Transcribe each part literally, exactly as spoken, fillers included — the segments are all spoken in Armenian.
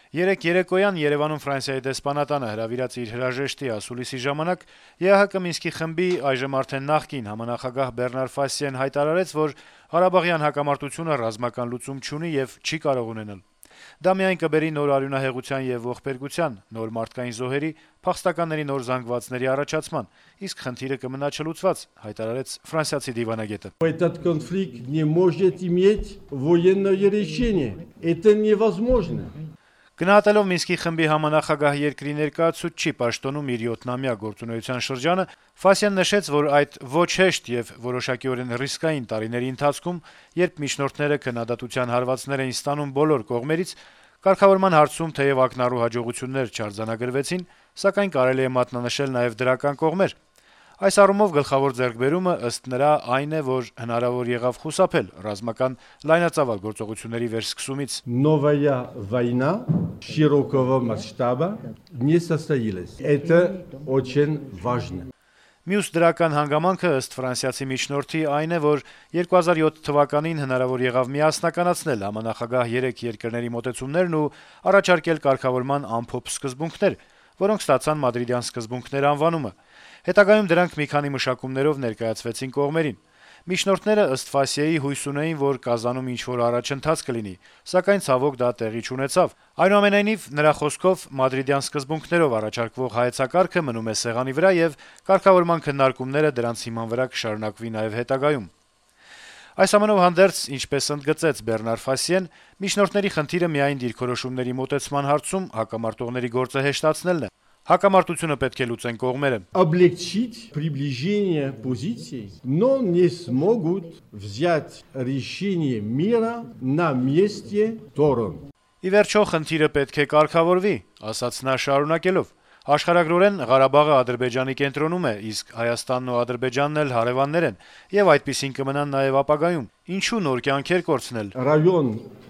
Երեկ երեկոյան Երեւանում Ֆրանսիայի դեսպանատանը հրավիրած իր հրաժեշտի ասուլիսի ժամանակ ԵԱՀԿ Մինսկի խմբի այժմ արդեն նախկին համանախագահ Բեռնար Ֆասիեն հայտարարեց, որ Ղարաբաղյան հակամարտությունը ռազմական լուծում չունի եւ չի կարող ունենալ։ Դա միայն կբերի նոր արյունահեղության եւ ողբերգության, нոր մարդկային զոհերի, փախստականների նոր զանգվածների առաջացման, իսկ խնդիրը կմնա չլուծված, հայտարարեց ֆրանսիացի դիվանագետը։ Этот конфликт не может иметь военное решение. Это невозможно. Գնահատելով Մինսկի խմբի համանախագահ երկրի ներկայացուցչի պաշտոնում իր յոթնամյա գործունեության շրջանը, Ֆասիան նշեց, որ այդ ոչ հեշտ եւ որոշակիորեն ռիսկային տարիների ընթացքում, երբ միջնորդները քննադատության հարվածներ էին ստանում բոլոր կողմերից, կարգավորման հարցում թեև ակնառու հաջողություններ չարձանագրվեցին, սակայն կարելի է մատնանշել նաեւ դրական կողմեր։ Այս առումով գլխավոր ձեռքբերումը ըստ նրա այն է, որ հնարավոր եղավ խուսափել ռազմական լայնածավալ գործողությունների վերսկսումից։ Новая война широкого масштаба не состоялась. Это очень важно. Մյուս դրական հանգամանքը ըստ ֆրանսիացի միջնորդի այն է, որ երկու հազար յոթ թվականին հնարավոր եղավ միասնականացնել համանախագահ երեք երկրների մոտեցումներն ու առաջարկել կարգավորման ամփոփ սկզբունքներ, որոնք ստացան Մադրիդյան սկզբունքներ անվանումը։ Հետագայում դրանք մի քանի մշակումներով ներկայացվեցին կողմերին։ Միջնորդները ըստ Ֆասիեի հույս ունեին, որ Կազանում ինչ-որ առաջընթաց կլինի, սակայն ցավոք դա տեղի չունեցավ։ Այնուամենայնիվ, նրա խոսքով Մադրիդյան սկզբունքներով առաջարկվող հայեցակարգը մնում է սեղանի վրա եւ կարգավորման քննարկումները դրանց հիման վրա կշարունակվի նաեւ հետագայում։ Այս ամենով հանդերձ, ինչպես ընդգծեց Բեռնար Ֆասիեն, միջնորդների խնդիրը միայն դիրքորոշումների մոտեցման հարցում հակամարտողների գործը հեշտացնելն է։ Հակամարտությունը պետք է լուծեն կողմերը։ Облегчить приближение позиций, но не смогут взять решение мира на месте сторон. Ի վերջո խնդիրը պետք է կարգավորվի, ասաց նա շարունակելով. Աշխարհագրորեն Ղարաբաղը Ադրբեջանի կենտրոնում է, իսկ Հայաստանն ու Ադրբեջանն էլ հարևաններ են, եւ այդպիսին կմնան նաեւ ապագայում։ Ինչու նոր կյանքեր կորցնել։ Район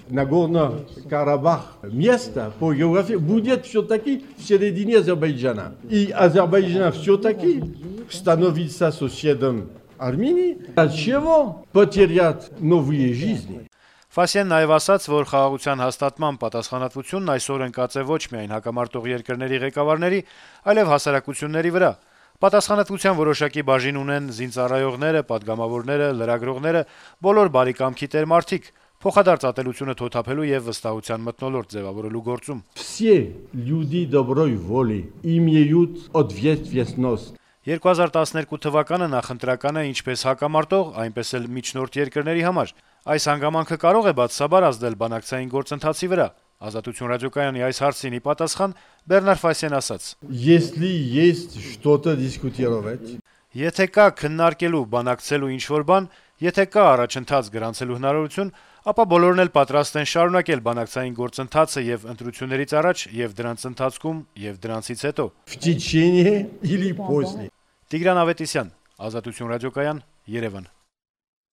Нагорно-Карабах место по географии будет все-таки в середине Азербайджана. И Азербайджан все-таки становится соседом Армении, от чего потерять новые жизни. Ֆասիեն նաև ասաց, որ խաղաղության հաստատման պատասխանատվությունն այսօր ընկած է ոչ միայն հակամարտող երկրների ղեկավարների, այլև հասարակությունների վրա։ Պատասխանատվության որոշակի բաժին ունեն զինծառայողները, падգամավորները, լրագրողները, բոլոր բարիկամքի տեր մարդիկ, փոխադարձ ատելությունը թոթափելու եւ վստահության մթնոլորտ ձևավորելու գործում։ Все люди доброй воли имеют ответственность. երկու հազար տասներկու թվականը նախընտրական է ինչպես հակամարտող, այնպես էլ միջնորդ երկրների համար։ Այս հանգամանքը կարող է բացասաբար ազդել բանակցային գործընթացի վրա։ Ազատություն ռադիոկայանի այս հարցին ի պատասխան Բեռնար Ֆասիեն ասաց. Если есть что-то дискутировать, Եթե կա քննարկելու, բանակցելու ինչ-որ բան, եթե կա առաջընթաց գրանցելու հնարավորություն, ապա բոլորն էլ պատրաստ են շարունակել բանակցային գործընթացը եւ ընտրություններից առաջ, եւ դրանց ընթացքում, եւ դրանցից հետո։ в течение или после. Տիգրան Ավետիսյան, Ազատություն ռադիոկայան, Երևան։